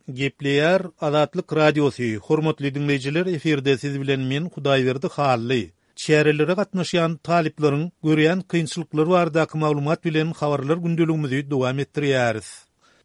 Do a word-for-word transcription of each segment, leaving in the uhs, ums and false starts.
Gepleýär Azatlyk Radiosy, Hormatly diňleýjiler efirde siz bilen men Hudaýberdi Hally. Çärelere gatnaşýan talyplaryň görýän kynçylyklary baradaky maglumat bilen habarlar gündeligimizi dowam etdirýäris.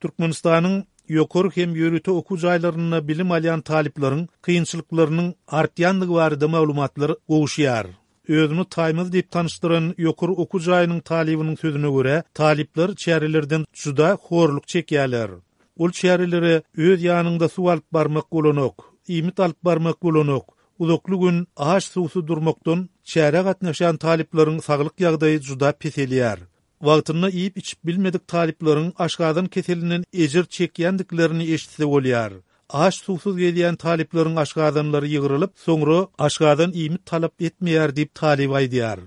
Türkmenistanyň ýokary hem ýörite okuw jaýlarynda bilim alýan talyplaryň kynçylyklarynyň artýandygy barada maglumatlar gowuşýar. Özüni Taýmaz diýip tanyşdyran ýokary okuw jaýynyň talybynyň sözüne görä, talyplar çärelerden juda horluk çekýärler. Ol çärelere öz ýanyňda suw alyp barmak bolanok, iýmit alyp barmak bolanok. Uzakly gün aç-suwsuz durmakdan çärä gatnaşýan talyplaryň saglyk ýagdaýy juda peselýär. Wagtynda iýip-içip bilmedik talyplaryň aşgazan keselinden ejir çekýändiklerini eşitse bolýar. Aç-suwsuz gelýän talyplaryň aşgazanlary ýygrylyp, soňra aşgazan iýmit talap etmeýär diýip talyp aýdýar.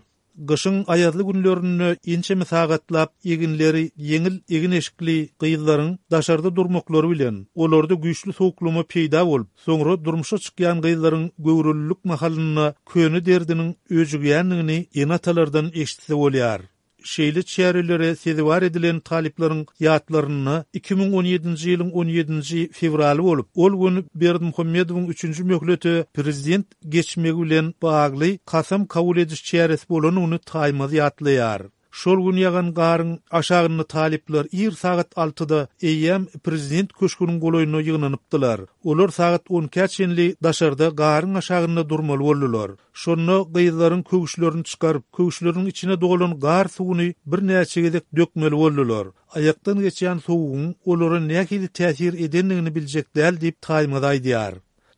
Gyşyň aýazly günlerinde ençeme sagatlap eginleri ýeňil egin-eşikli gyzlaryň daşarda durmaklary bilen, olarda güýçli sowuklama peýda bolup, soňra durmuşa çykýan gyzlaryň göwrelilik mahalynda köne derdiniň öjügýändigini ene-atalardan eşitse bolýar. Şeýle çärelere sezewar edilen talyplaryň ýatlarynda iki müň on ýedinji ýylyň on ýedinji fewraly bolup, ol gün Berdimuhamedowyň üçünji möhlete prezident geçmegi bilen bagly kasam kabul ediş çäresi bolanyny Taýmaz ýatlaýar. Şol gün ýagan garyň aşagynda talyplar ir sagat altyda eýýäm prezident köşgüniň golaýynda ýygnanypdylar. Olar sagat on ikä çenli daşarda garyň aşagynda durmaly boldular. Şonda gyzlaryň köwüşlerini çykaryp, köwüşleriniň içine dolan gar suwuny birnäçe gezek dökmeli boldular. Aýakdan geçýän sowugyň olara nähili täsir edendigini biljek däl diýip Taýmaz aýdýar.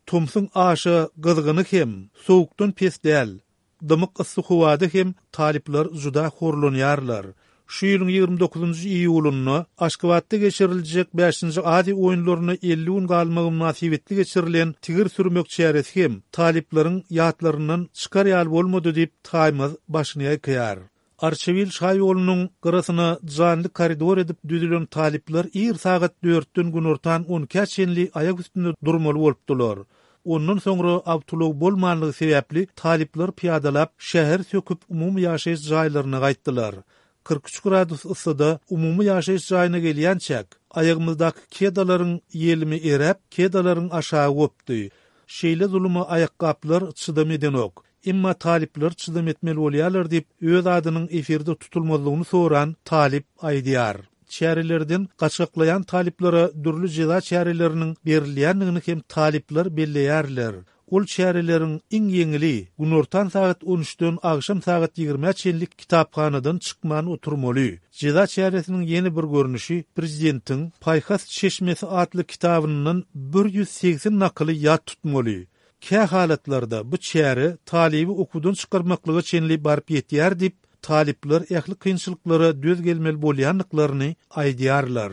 Tomsuň aşa gyzgyny hem sowukdan pes däl. Dymyk yssy howada hem talyplar juda horlanýarlar. Şu ýylyň ýigrimi dokuzynjy iýulynda Aşgabatda geçiriljek bäşinji Aziýa oýunlaryna elli gün galmagy mynasybetli geçirilen tigir sürmek çäresi hem talyplaryň ýatlaryndan çykar ýaly bolmady diýip Taýmaz başyny ýaýkaýar. Arçabil şaýolunyň gyrasyna janly koridor edip düzülen talyplar ir sagat dörtden günortan on ikä çenli aýak üstünde durmaly bolupdylar. Ondan soňra awtoulag bolmanlygy sebäpli talyplar pyýadalap şäher söküp umumy ýaşaýyş jaýlaryna gaýtdylar. Kyrk üç gradus yssyda umumy ýaşaýyş jaýyna gelýänçäk, aýagymyzdaky kedalaryň ýelimi eräp, kedalaryň aşagy gopdy. Şeýle zuluma aýakgaplar çydam edenok. Emma talyplar çydam etmeli bolýarlar diýip, öz adynyň efirde tutulmazlygyny soran talyp aýdýar. Çärelerden gaçgaklaýan talyplara dürli jeza çäreleriniň berilýändigini hem talyplar belleýärler. Ol çäreleriň iň ýeňili günortan sagat on üçden agşam sagat ýigrimä çenli kitaphanadan çykman oturmaly. Jeza çäresiniň ýene bir görnüşi prezidentiň Paýhas çeşmesi atly kitabyndan bir ýüz segsen nakyly ýat tutmaly. Kä halatlarda bu çäre talyby okuwdan çykarmaklyga çenli baryp ýetýär diýip, talyplar ähli kynçylyklara döz gelmeli bolýandyklaryny aýdýarlar.